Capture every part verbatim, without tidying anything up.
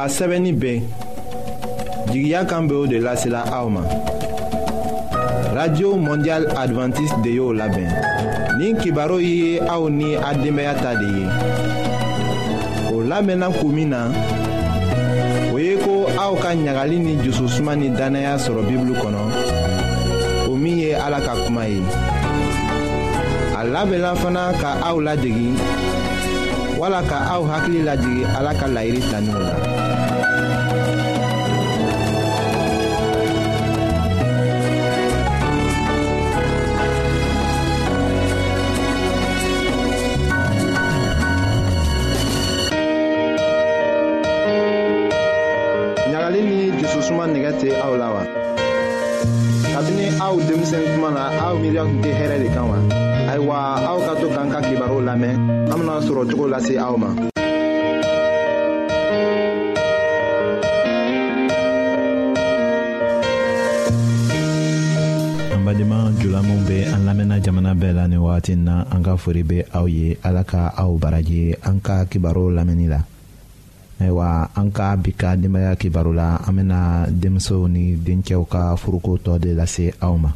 A sɛbɛnni bɛ jigiya kan bɛ o de lasela aw ma. Radio Mondiale Adventiste de y'o labɛn. Nin kibaru ye aw ni a denbaya ta de ye. O lamɛnna kun min na, o ye ko aw ka ɲagali ni jususuma ni dannaya sɔrɔ Bibulu kɔnɔ, o min ye Ala ka kuma ye. A labɛnna fana ka aw ladegi wala ka aw hakili lajigin Ala ka layiru talenw la. Ɲagali ni jususuma nɛgɛ tɛ aw la wa? Kabini aw denmisɛn tuma na aw miiriya tun tɛ hɛrɛ de kan wa? Ayiwa aw ka to k'an ka kibaru lamɛn, an bɛna sɔrɔ cogo lase aw ma. An badenma jula minw bɛ an lamɛnna jamana bɛɛ la nin wagati in na, an ka fori bɛ aw ye. Ala ka aw baraji an ka kibaru lamɛnni la. Ayiwa an ka bi ka denbaya kibaru la, an bɛna denmusow ni dencɛw ka furuko tɔ de lase aw ma.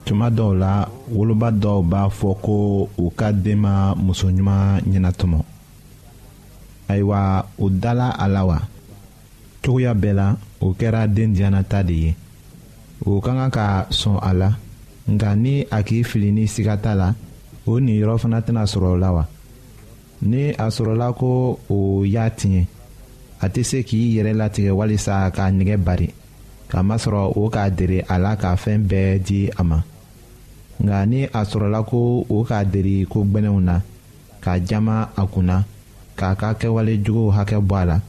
Tuma dɔw la, woloba dɔw b'a fɔ ko u ka den ma muso ɲuman ɲɛnatɔmɔ. Ayiwa o dala a la wa? Cogoya bɛɛ la, o kɛra den diyanata de ye. O ka kan ka sɔn a la, nka ni a k'i fili ni siga t'a la, o niyɔrɔ fana tɛna sɔrɔ o la wa? Ni a sɔrɔla ko o y'a tiɲɛ, a tɛ se k'i yɛrɛ latigɛ walisa k'a nɛgɛ bari, k'a masɔrɔ o k'a dere a la ka fɛn bɛɛ di a ma. Nka ni a sɔrɔla ko o k'a deri ko gbɛlɛnw na, k'a jama a kunna, k'a ka kɛwale juguw hakɛ bɔ a la,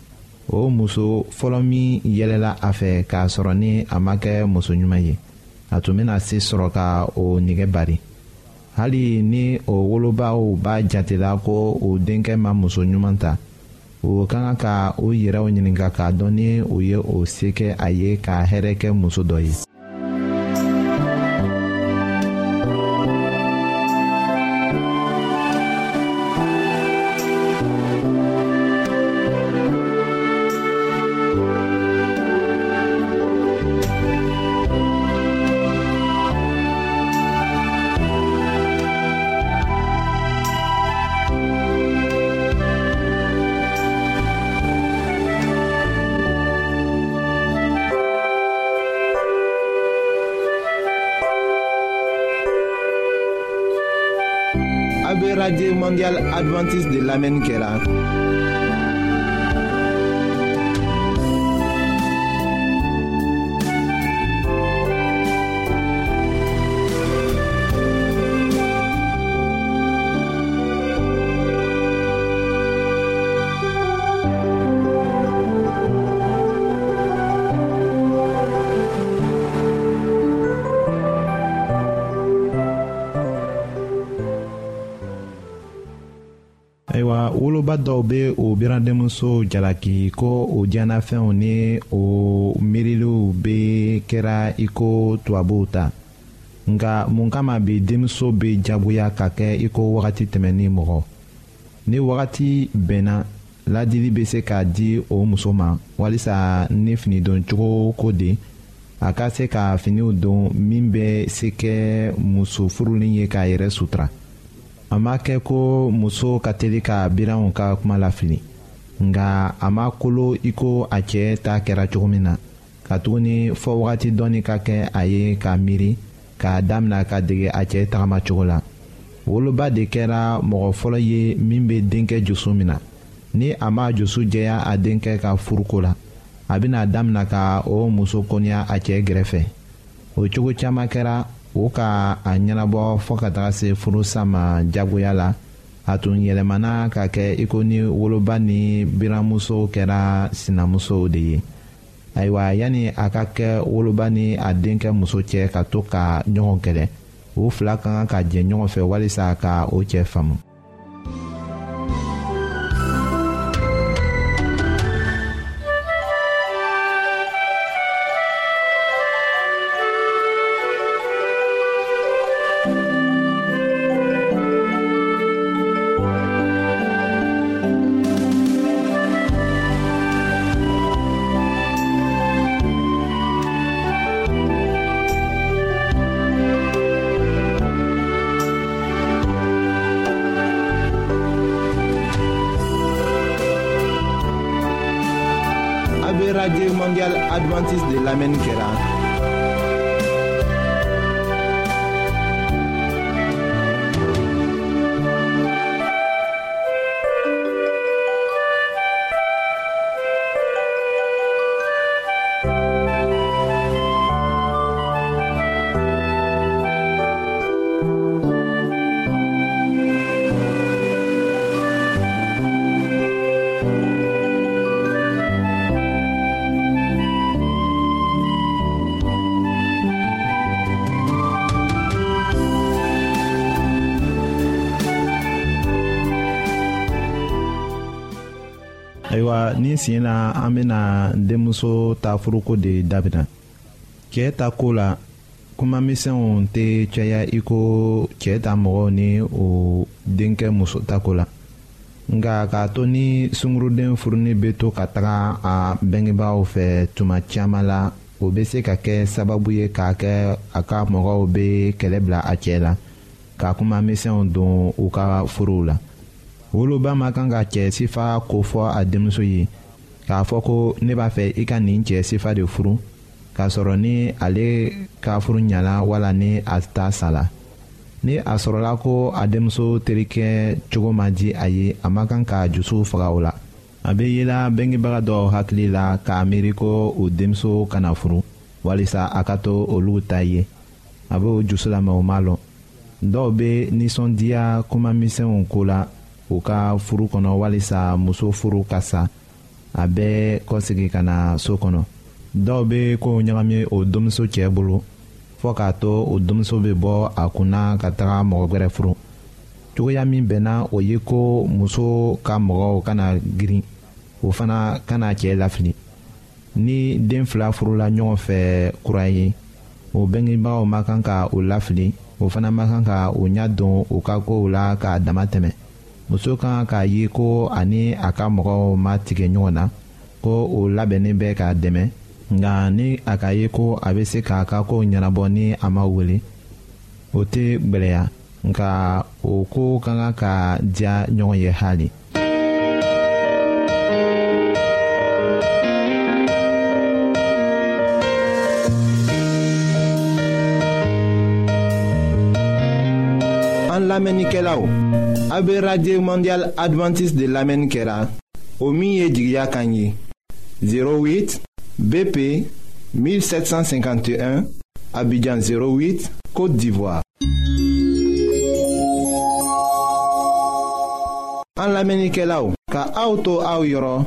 o muso fɔlɔ min yɛlɛla a fɛ k'a sɔrɔ ni a ma kɛ muso ɲuman ye, a tun bɛna se sɔrɔ ka o nɛgɛ bari. Hali ni o wolobaw b'a jatela ko o denkɛ ma muso ɲuman ta, o ka kan ka o yɛrɛw ɲininka k'a dɔn ni o ye o se kɛ a ye ka hɛrɛ kɛ muso dɔ ye. A bɛ Radio Mondiale Adventiste de lamɛnni kɛra. Ayiwa woloba dɔw bɛ o biradenmuso jalaki ko o diyanafɛnw ni o miiriliw bɛ kɛra i ko tubabuw ta, Nka mun kama bi denmuso bɛ jagoya ka kɛ i ko wagati tɛmɛnen mɔgɔ. Ni wagati bɛnna, ladili bɛ se ka di o muso ma walisa ni finidon cogo ko de a ka se ka finiw don min bɛ se kɛ muso furulen ye k'a yɛrɛ sutura. A ma kɛ ko muso ka teli ka biranw ka kuma lafili, nka a ma kolo i ko a cɛ ta kɛra cogo min na, katuguni fɔ wagati dɔɔni ka kɛ a ye k'a miiri k'a damina ka dege a cɛ tagama cogo la. Woloba de kɛra mɔgɔ fɔlɔ ye min bɛ denkɛ dusu mina. Ni a ma dusu jɛya a denkɛ ka furuko la, a bɛna damina ka o muso kɔniya a cɛ gɛrɛfɛ. O cogo caman kɛra o ka a ɲɛnabɔ fɔ ka taga se furusa ma jagoya la. A tun yɛlɛmana ka kɛ i ko ni woloba ni biranmuso kɛra sinamusow de ye. Ayiwa, yanni a ka kɛ woloba ni a denkɛ muso cɛ ka to ka ɲɔgɔn kɛlɛ, u fila ka kan ka jɛ ɲɔgɔn fɛ walisa ka o cɛ faamu. Radio Mondiale Adventiste de lamɛnni kɛra. Ayiwa, ni siɲɛ na an bɛna denmuso ta furuko de dabila. Cɛ ta ko la, kuma misɛnw tɛ caya i ko cɛ ta mɔgɔw ni o denkɛ muso ta ko la. Nka k'a to ni sunguruden furuni bɛ to ka taga a bɛngebaaw fɛ tuma caman la, o bɛ se ka kɛ sababu ye k'a kɛ a ka mɔgɔw bɛ kɛlɛ bila a cɛ la, ka kuma misɛnw don u ka furuw la. Woloba ma kan ka cɛ sifa ko fɔ a denmuso ye k'a fɔ ko ne b'a fɛ i ka nin cɛ sifa de furu, k'a sɔrɔ ni ale ka furu ɲana wala ni a ta sala. Ni a sɔrɔla ko a denmuso terikɛ cogo man di a ye, a ma kan ka dusu faga o la. A bɛ yela bɛngebaga dɔw hakili la k'a miiri ko o denmuso kana furu walisa a ka to olu ta ye. A b'o dusu la mɛ o ma lɔn. Dɔw bɛ nisɔndiya kuma misɛnw ko la u ka furu kɔnɔ walisa muso furu ka sa, a bɛ kɔsegin ka na so kɔnɔ. Dɔw bɛ kow ɲagami o denmuso cɛ bolo fɔ k'a to o denmuso bɛ bɔ a kunna ka taga mɔgɔ wɛrɛ furu. Cogoya min bɛnna o ye ko muso ka mɔgɔw kana girin, o fana kana cɛ lafili. Ni den fila furula ɲɔgɔn fɛ kura ye, o bɛngebagaw ma kan ka o lafili, o fana ma kan ka o ɲɛ don u ka kow la k'a dama tɛmɛ. Muso kan k'a ye ko ani a ka mɔgɔw ma tigɛ ɲɔgɔn na, ko o labɛnnen bɛ k'a dɛmɛ. Nka ni a ka ye ko a bɛ se k'a ka kow ɲɛnabɔ ni a ma wele, o tɛ gwɛlɛya, nka o ko ka kan ka diya ɲɔgɔn ye hali. An lamɛnnikɛlaw, a bɛ Radio Mondiale Adventiste de lamɛnni kɛra, o min ye jigiya kan ye. zéro huit B P mille sept cent cinquante et un, Abidjan zéro huit, Côte d'Ivoire. An lamɛnnikɛlaw, ka aw to aw yɔrɔ,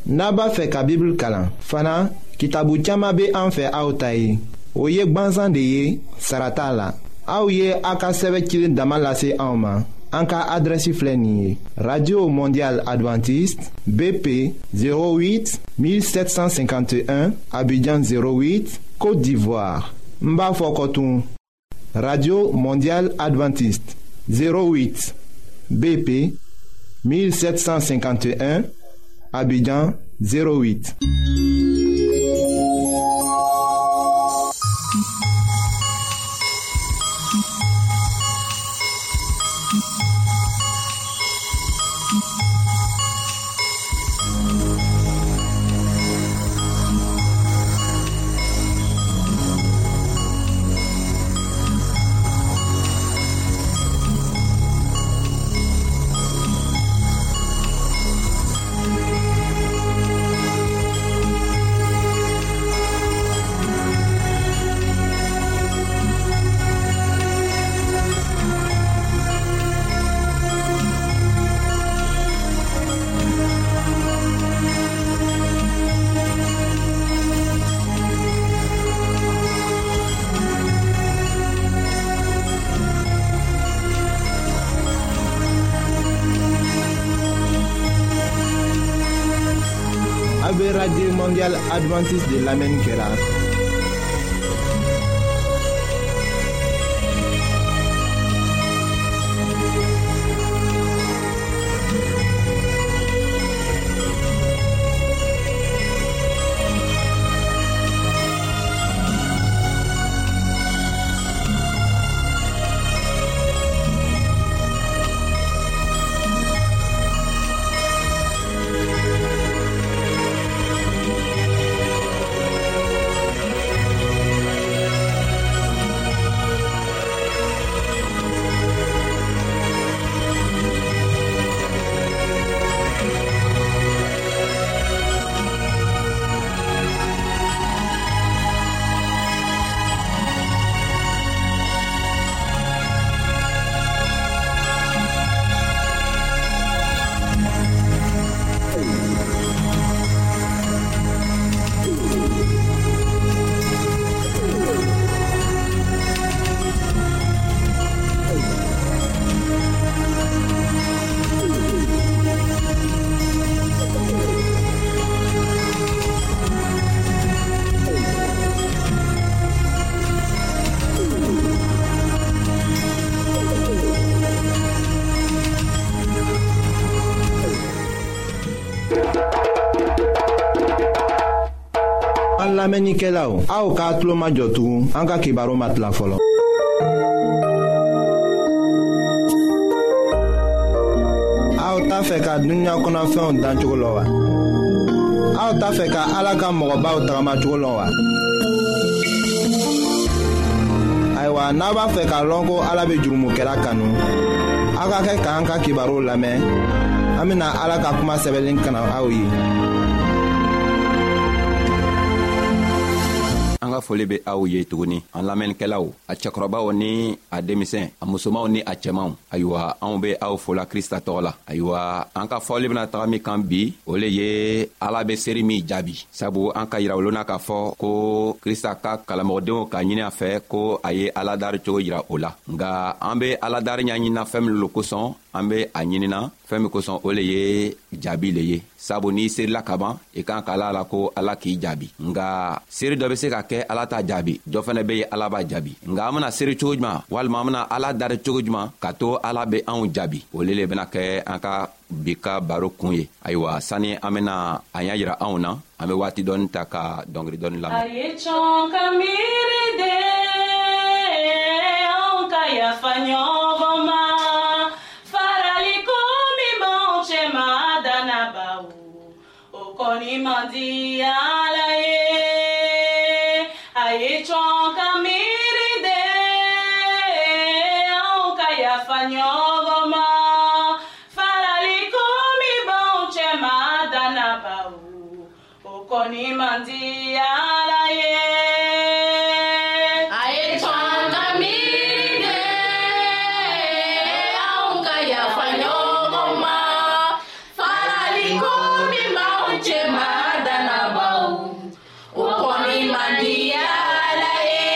n'a b'a fɛ ka Bible kalan fana, kitabu caman bɛ an fɛ aw ta ye. O ye gbansan de ye, sara t'a la. Aw ye a ka sɛbɛn cilen dama lase anw ma. An ka adresse filɛ nin ye: Radio Mondiale Adventiste, B P zéro huit mille sept cent cinquante et un, Abidjan zéro huit, Côte d'Ivoire. N b'a fɔ kɔ tun: Radio Mondiale Adventiste, zéro huit B P mille sept cent cinquante et un, Abidjan zéro huit. Radio Mondiale Adventiste de lamɛnni kɛra. Lamɛnnikɛlaw, aw k'a tulo majɔ tugun, an ka kibaru ma tila fɔlɔ. Aw t'a fɛ ka dunuya kɔnɔfɛnw dancogo lɔn wa? Aw t'a fɛ ka Ala ka mɔgɔbaw tagamacogo lɔn wa? Ayiwa, n'a b'a fɛ k'a lɔn ko Ala bɛ jurumukɛla kanu, aw ka kɛ k'an ka kibaru lamɛn. An bɛna Ala ka kuma sɛbɛnlen kana aw ye. An ka foli bɛ aw ye tuguni, an lamɛnnikɛlaw, a cɛkɔrɔbaw ni a denmisɛn, a musomanw ni a cɛmanw. Ayiwa, anw bɛ aw fola Krista tɔgɔ la. Ayiwa, an ka fɔli bɛna taga min kan bi, o le ye Ala bɛ seri min jaabi. Sabu an ka yira olu na k'a fɔ ko Krista ka kalamɔgɔdenw ka ɲini a fɛ ko a ye Ala dari cogo yira o la. Nka an bɛ Ala dari ɲɛɲinina fɛn min lo kosɔn, an bɛ a ɲinina fɛn min kosɔn, o le ye jaabi le ye. Sabu n'i serila kaban, i kan ka ala la ko Ala k'i jaabi. Nka seri dɔ bɛ se ka kɛ Ala t'a jaabi, dɔ fana bɛ yen Ala b'a jaabi. Nka an bɛna seri cogo jumɛn, walima an bɛna Ala dari cogo jumɛn ka to Ala bɛ anw jaabi, o le le bɛna kɛ an ka bi ka baro kun ye. Ayiwa, sani an bɛna a ɲɛ yira anw na, an bɛ waati dɔɔni ta ka dɔnkili dɔɔni lamɛn. A ye cɔn ka miiri de, anw ka yafa ɲɔgɔn ma. Farali ko min b'anw cɛ ma dannabaw, o kɔni man di Ala ye. A ye cɔn ka miiri de, anw ka yafa ɲɔgɔn ma. Farali ko min b'anw cɛ ma dannabaw, o kɔni man di Ala ye. A ye cɔn ka miiri de, anw ka yafa ɲɔgɔn ma. Farali ko min b'anw cɛ ma dannabaw, o kɔni man di Ala ye.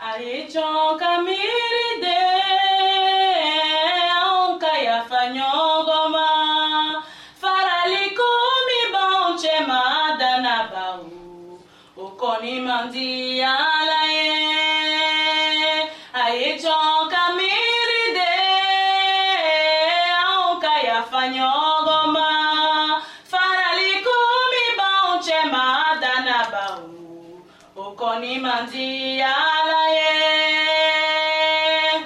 A ye cɔn ka miiri de, anw ka yafa ɲɔgɔn ma. Farali ko min b'anw cɛ ma dannabaw, o kɔni man di Ala ye. kɔni man di Ala ye.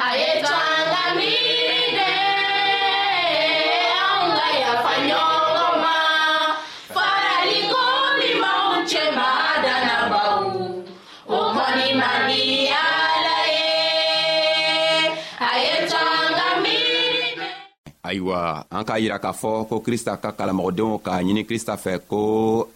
A ye to an ka miiri de, anw ka yafa ɲɔgɔn ma. Faraliko min b'anw cɛma dannabaw, o kɔni man di Ala ye. A ye to an ka miiri de. Ayiwa, an k'a yira k'a fɔ ko Krista ka kalamɔgɔdenw k'a ɲini Krista fɛ ko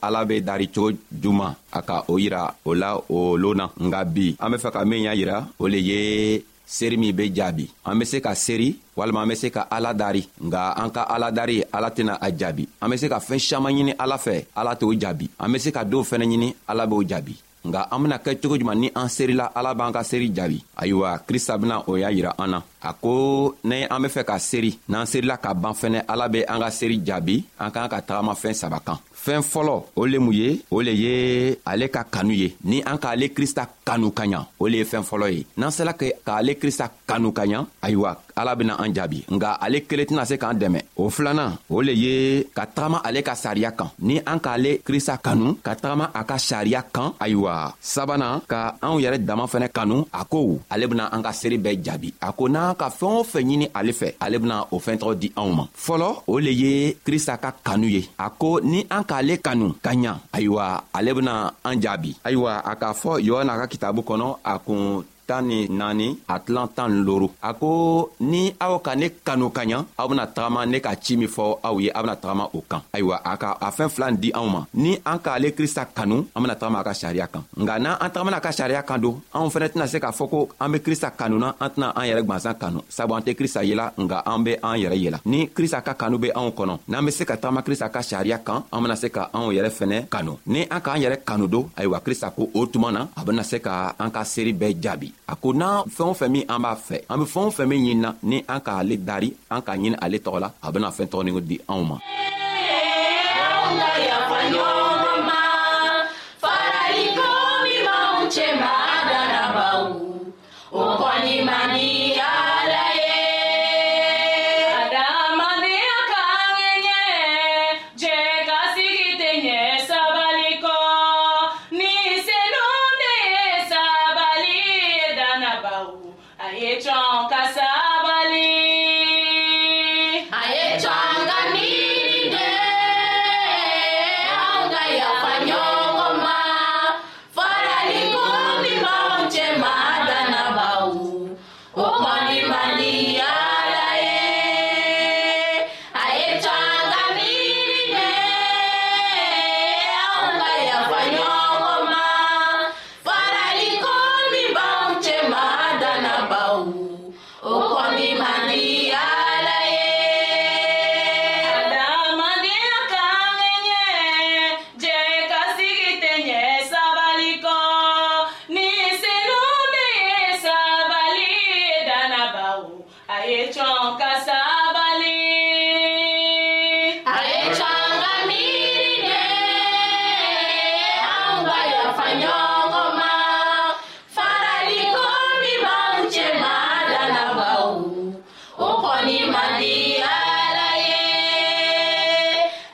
Ala be dari cogo juman, a ka o yira o la o lon na. Nga bi an be fɛ ka min y'a yira, o le ye seri min be jaabi. An be se ka seri walima an be se ka Ala dari, nga an ka Ala dari, Ala tɛna a jaabi. An be se ka fɛɛn siaman ɲini Ala fɛ, Ala t'o jaabi. An be se ka dɔw fɛnɛ ɲini, Ala b'o jaabi. Nga an bena kɛ cogo juman ni an serila, Ala b'an ka seri jaabi? Ayiwa, Krista bena o y'a yira an na. A ko ni an be fɛ ka seri, n'an serila ka ban fɛnɛ, Ala be an ka seri jaabi. An k'an ka tagama fɛn saba kan. Fɛn fɔlɔ, o le mun ye? O le ye ale ka kanu ye. Ni an k'ale Krista kanu ka ɲa, o le ye fɛn fɔlɔ ye. N'an sela k'ale Krista kanu ka ɲa, ayiwa, Ala bena an jaabi. Nga ale kelen tɛna se k'an dɛmɛ. O filanan, o le ye ka tagama ale ka sariya kan. Ni an k'ale Krista kanu ka tagama a ka sariya kan, ayiwa, sabanan, ka anw yɛrɛ dama fɛnɛ kanu. A ko ale bena an ka seri bɛɛ jaabi. A ko n'an ka fɛn o fɛn ɲini ale fɛ, ale bena o fɛn tɔgɔ di anw ma. Fɔlɔ, o le ye Krista ka kanu ye. A ko ni an k'ale kanu ka ɲa, ayiwa, ale bena an jaabi. Ayiwa, a k'a fɔ Yohana ka kitabu kɔnɔ, a kun tan ni naani, a tilan tan ni loru, a ko ni aw ka ne kanu ka ɲa, aw bena tagama ne ka ci min fɔ aw ye, aw bena tagama o kan. Ayiwa, a ka a fɛn fila di anw ma. Ni an k'ale Krista kanu, an bena tagama a ka sariya kan. Nga n'an an tagamana a ka sariya kan don, anw fɛnɛ tɛna se k'a fɔ ko an be Krista kanu na, an tɛna an yɛrɛ gwansan kanu, sabu an tɛ Krista yela, nga an be an yɛrɛ yela. Ni Krista ka kanu be anw kɔnɔ, n'an be se ka tagama Krista ka sariya kan, an bena se ka anw yɛrɛ fɛnɛ kanu. Ni an k'an yɛrɛ kanu don, ayiwa, Krista ko o tuma na, a bena se ka an ka seri bɛɛ jaabi. A ko n'an fɛn o fɛn min an b'a fɛ, an be fɛn o fɛn min ɲinina, ni an k'ale dari, an k'a ɲini ale tɔgɔ la, a bena fɛn tɔgɔ di anw ma. Anw ka yafa ɲɔgɔn ma, faraliko min b'anw cɛma dannabaw, o kɔni man di Ala ye. Adamadenya ka ŋɛɲɛ, jɛ ka sigi tɛ ɲɛ sabali kɔ. Ni senu de ye sabali ye dannabaw, a ye cɔn ka sabali. A ye to an ka miiri de, anw ka yafa ɲɔgɔn ma. Faraliko min b'anw cɛma dannabaw, o kɔni man di Ala ye. A ye to an ka miiri de, anw ka yafa ɲɔgɔn ma. Faraliko min b'anw cɛma dannabaw, o kɔni man di Ala ye. Adamadenya ka ŋɛɲɛ, jɛ ka sigi tɛ ɲɛ sabali kɔ. Ni senu de ye sabali ye dannabaw, a ye cɔn ka sabali. A ye to an ka miiri de, anw ka yafa ɲɔgɔn ma. Faraliko min b'anw cɛma dannabaw, o kɔni man di Ala ye.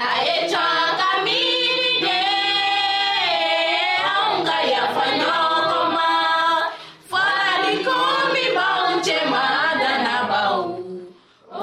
A ye to an ka miiri de, anw ka yafa ɲɔgɔn ma. Faraliko min b'anw cɛma dannabaw.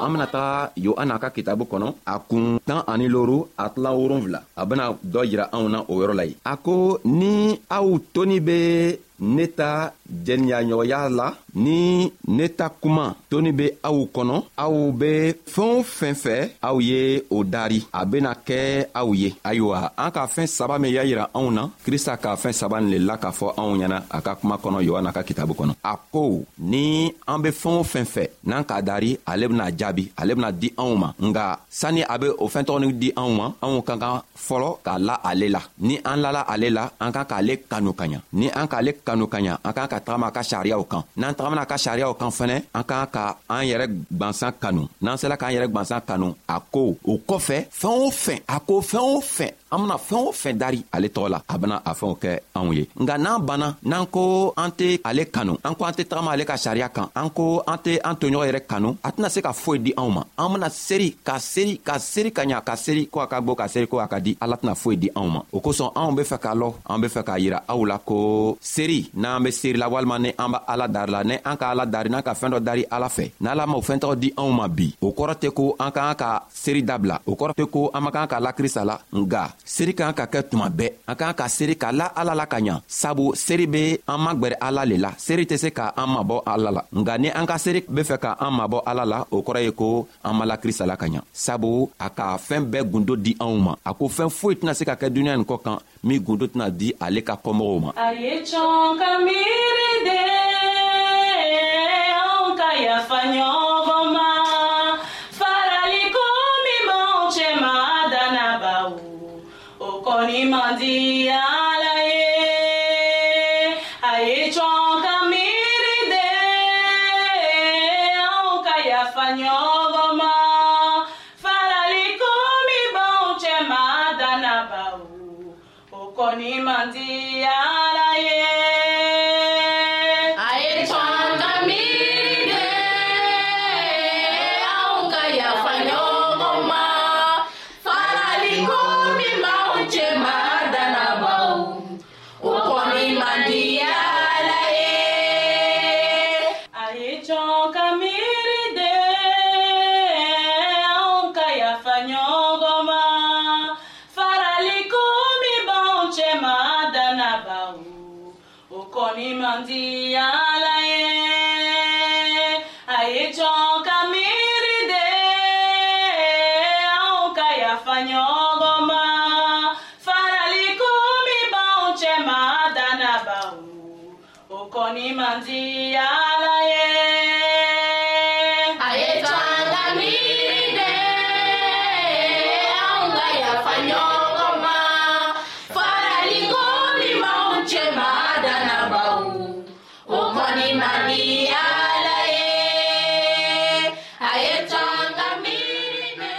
An bena taga Yohana ka kitabu kɔnɔ, a kun tan ani loru, a tilan wolonfila, a bena dɔ yira anw na o yɔrɔ la yen. A ko ni aw toni be ne ta jɛniyaɲɔgɔnya la, ni ne ta kuma toni be aw kɔnɔ, aw be fɛn o fɛn fɛ, aw ye o dari, a bena kɛ aw ye. Ayiwa, an ka fɛn saba min y'a yira anw na, Krista ka fɛn saba nin le la k'a fɔ anw ɲɛna a ka kuma kɔnɔ, Yohana ka kitabu kɔnɔ. A ko ni an be fɛn o fɛn fɛ, n'an k'a dari, ale bena jaabi, ale bena di anw ma. Nga sani a be o fɛn tɔgɔ nin di anw ma, anw ka kan fɔlɔ k'a la ale la. Ni an lala ale la, an kan k'ale kanu ka ɲa. Ni an k'ale kanu ka ɲa, an kan ka tagama a ka sariyaw kan. N'an tagamana a ka sariyaw kan fɛnɛ, an kan ka an yɛrɛ gwansan kanu. N'an sela k'an yɛrɛ gwansan kanu, a ko o kɔfɛ, fɛn o fɛn, a ko fɛn o fɛn An bena fɛn o fɛn dari ale tɔgɔ la, a bena a fɛnw kɛ anw ye. Nka n'an banna, n'an ko an tɛ ale kanu, an ko an tɛ tagama ale ka sariya kan, an ko an tɛ an toɲɔgɔn yɛrɛ kanu, a tɛna se ka foyi di anw ma. An bena seri ka seri ka seri ka ɲa, ka seri ko a ka bɔ, ka seri ko a ka di, Ala tɛna foyi di anw ma. O kosɔn anw be fɛ k'a lɔ, an be fɛ k'a yira aw la ko seri, n'an be seri la walima ni an b'a Ala dari la, ni an ka Ala dari, n'an ka fɛn dɔ dari Ala fɛ, n'Ala ma o fɛn tɔgɔ di anw ma bi, o kɔrɔ tɛ ko an ka kan ka seri dabila, o kɔrɔ tɛ ko an ma kan ka la Krista la. Nga seri kan ka kɛ tuma bɛɛ, an kan ka seri ka la Ala la ka ɲa, sabu seri be an magwɛrɛ Ala le la. Seri tɛ se ka an mabɔ Ala la. Nga ni an ka seri be fɛ ka an mabɔ Ala la, o kɔrɔ ye ko an ma la Krista la ka ɲa, sabu a ka fɛn bɛɛ gundo di anw ma. A ko fɛn foyi tɛna se ka kɛ duniɲa nin kɔ kan min gundo tɛna di ale ka kɔmɔgɔw ma. A ye cɔn ka miiri de, anw ka yafa ɲɔgɔn ma, farali ko min b'anw cɛ ma dannabaw, o kɔni man di Ala ye. A ye cɔn ka miiri de, anw ka yafa ɲɔgɔn ma, farali ko min b'anw cɛ ma dannabaw, o kɔni man di Ala ye. A ye cɔn ka miiri de, anw ka yafa ɲɔgɔn ma, farali ko min b'anw cɛ ma dannabaw, o kɔni man di Ala ye. A ye cɔn ka miiri de, anw ka yafa ɲɔgɔn ma, farali ko min b'anw cɛ ma dannabaw, o kɔni man di Ala ye. A ye cɔn ka miiri de, anw ka yafa ɲɔgɔn ma, farali ko min b'anw cɛ ma dannabaw, o kɔni man di Ala ye. A ye cɔn ka miiri de, anw ka yafa ɲɔgɔn ma, farali ko min b'anw cɛ ma dannabaw, o kɔni man di Ala ye. A ye cɔn ka miiri de.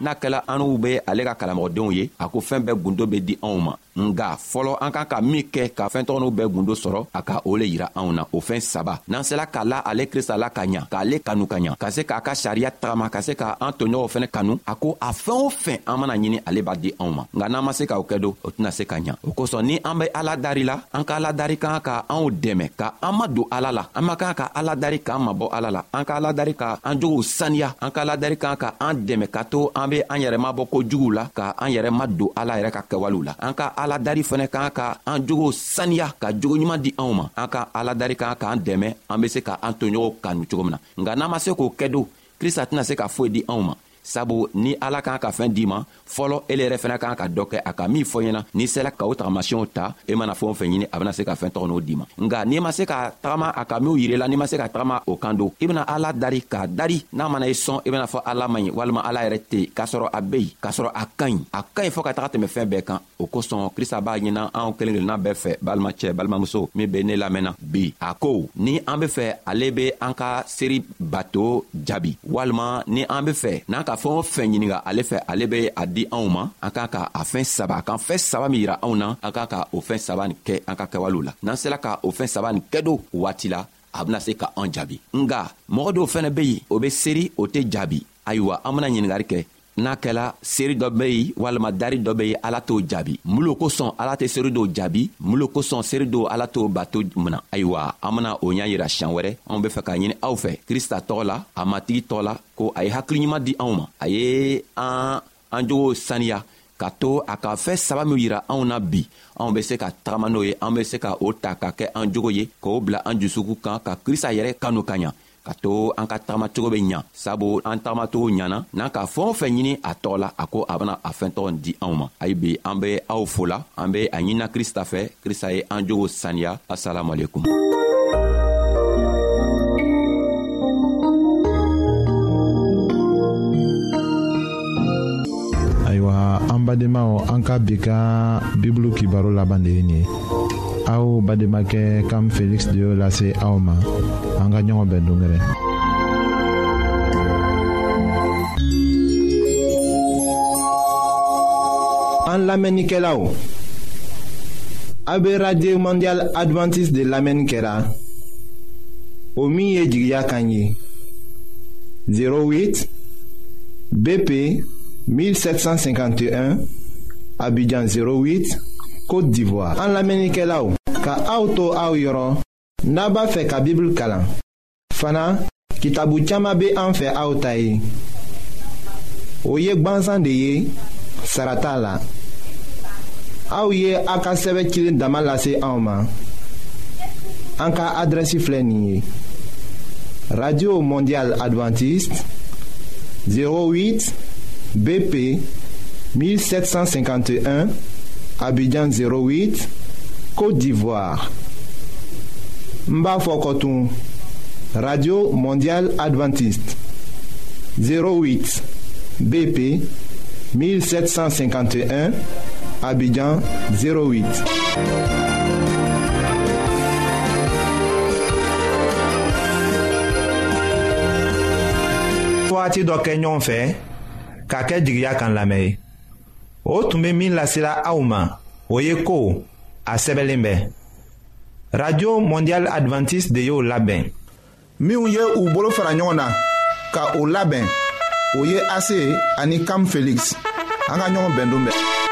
N'a kɛla anw be ale ka kalamɔgɔdenw ye, a ko fɛn bɛɛ gundo be di anw ma. Nga fɔlɔ an kan ka min kɛ ka fɛn tɔgɔninw bɛɛ gundo sɔrɔ, a ka o le yira anw na. O fɛn saba, n'an sela ka la ale Krista la ka ɲa, k'ale kanu ka ɲa, ka se k'a ka sariya tagama, ka se ka an toɲɔgɔnw fɛnɛ kanu, a ko a fɛn o fɛn an mana ɲini ale b'a di anw ma. Nka n'an ma se k'o kɛ don, o tɛna se ka ɲa. O kosɔn ni an be Ala dari la, an ka Ala dari kan ka anw dɛmɛ ka an ma don Ala la. An ma kan ka Ala dari k'an mabɔ Ala la. An ka Ala dari ka an jogow saniya. An ka Ala dari kan ka an dɛmɛ ka to an be an yɛrɛ mabɔ kojuguw la, ka an yɛrɛ ma don Ala yɛrɛ ka kɛwalew la. An ka Ala dari fɛnɛ kan ka an jogow saniya, ka jogo ɲuman di anw ma. An ka Ala dari kan k'an dɛmɛ an be se ka an toɲɔgɔnw kanu cogo min na. Nka n'an ma se k'o kɛ don, Krista tɛna se ka foyi di anw ma. Sabu ni Ala kan ka fɛn d'i ma, fɔlɔ ele yɛrɛ fɛnɛ kan ka dɔ kɛ a ka min fɔ ɲɛna. N'i sela ka o tagamasiyɛnw ta, e mana fɛn o fɛn ɲini, a bɛna se ka fɛn tɔgɔ n'o d'i ma. Nka n'i ma se ka tagama a ka minw yir'i la, n'i ma se ka tagama o kan don, i bɛna Ala dari k'a dari, n'a mana i sɔn, i bɛna fɔ Ala man ɲi walima Ala yɛrɛ tɛ yen, k'a sɔrɔ a bɛ yen, k'a sɔrɔ a ka ɲi, a ka ɲi fɔɔ ka taga tɛmɛ fɛn bɛɛ kan. O kosɔn Krista b'a ɲina anw kelen kelenna bɛɛ fɛ, balimacɛ, balimamuso min bɛ ne lamɛnna bi, a ko ni an be fɛ ale be an ka seri bato jaabi, walima ni an be fɛ n'an ka fɛn o fɛn ɲininga ale fɛ, ale be a di anw ma, an kan ka a fɛn saba, a kan fɛn saba min yira anw na, an kan ka o fɛn saba nin kɛ an ka kɛwalew la. N'an sela ka o fɛn saba nin kɛ don waati la, a bɛna se ka an jaabi. Nga mɔgɔ dɔw fɛnɛ be yen, o be seri, o tɛ jaabi. Ayiwa, an bena ɲiningari kɛ. N'a kɛla seri dɔ be yen walima dari dɔ be yen, Ala t'o jaabi. Mun lo kosɔn Ala tɛ seri dɔw jaabi? Mun lo kosɔn seri dɔw Ala t'o bato mina? Ayiwa, an bena o ɲa yira siɲan wɛrɛ. Anw be fɛ k'a ɲini aw fɛ Krista tɔgɔ la, a Matigi tɔgɔ la, ko a ye hakili ɲuman di anw ma, a ye an an jogow saniya, ka to a ka fɛn saba min yira anw na bi, anw be se ka tagama n'o ye, an be se ka o ta ka kɛ an jogo ye, k'o bila an jusukun kan, ka Krista yɛrɛ kanu ka ɲa, ka to an ka tagamacogo bɛ ɲa. Sabu an tagamacogo ɲana, n'an ka fɛn o fɛn ɲini a tɔgɔ la, a ko a bɛna a fɛn tɔgɔ di anw ma. Ayi bi, an be aw fo la, an be a ɲinina Krista fɛ, Krista ye an jogo saniya. Asalamualeykum. Ayiwa, an badenmaw, an ka bi ka Bibulu kibaro laban de ye nin ye. Aw badenmakɛ Kam Felix de y'o lase aw ma. An ka ɲɔgɔn bɛn don wɛrɛ. An lamɛnnikɛlaw, a bɛ Radio Mondiale Adventiste de lamɛnni kɛra, o min ye jigiya kan ye. zéro huit B P mille sept cent cinquante et un, Abidjan zéro huit, Côte d'Ivoire. An lamɛnnikɛlaw, ka aw to aw yɔrɔ, n'a b'a fɛ ka Bibulu kalan fana, kitabu caman bɛ an fɛ aw ta ye. O ye gbansan de ye, sara t'a la. Aw ye a ka sɛbɛn cilen dama lase anw ma. An ka adrɛsi filɛ nin ye: Radio Mondiale Adventiste, zéro huit B P mille sept cent cinquante et un, Abidjan zéro huit, Côte d'Ivoire. N b'a fɔ kɔtun: Radio Mondiale Adventiste, zéro huit B P mille sept cent cinquante et un, Abidjan zéro huit. Wagati dɔ kɛ ɲɔgɔn fɛ ka kɛ jigiya kan lamɛn ye, o tun bɛ min lasela aw ma, o ye ko a sɛbɛnlen bɛ. Radio Mondiale Adventiste de y'o labɛn. Minnu ye u bolo fara ɲɔgɔn na ka o labɛn, o ye A C ani Kam Felix. An ka ɲɔgɔn bɛn don bɛɛ.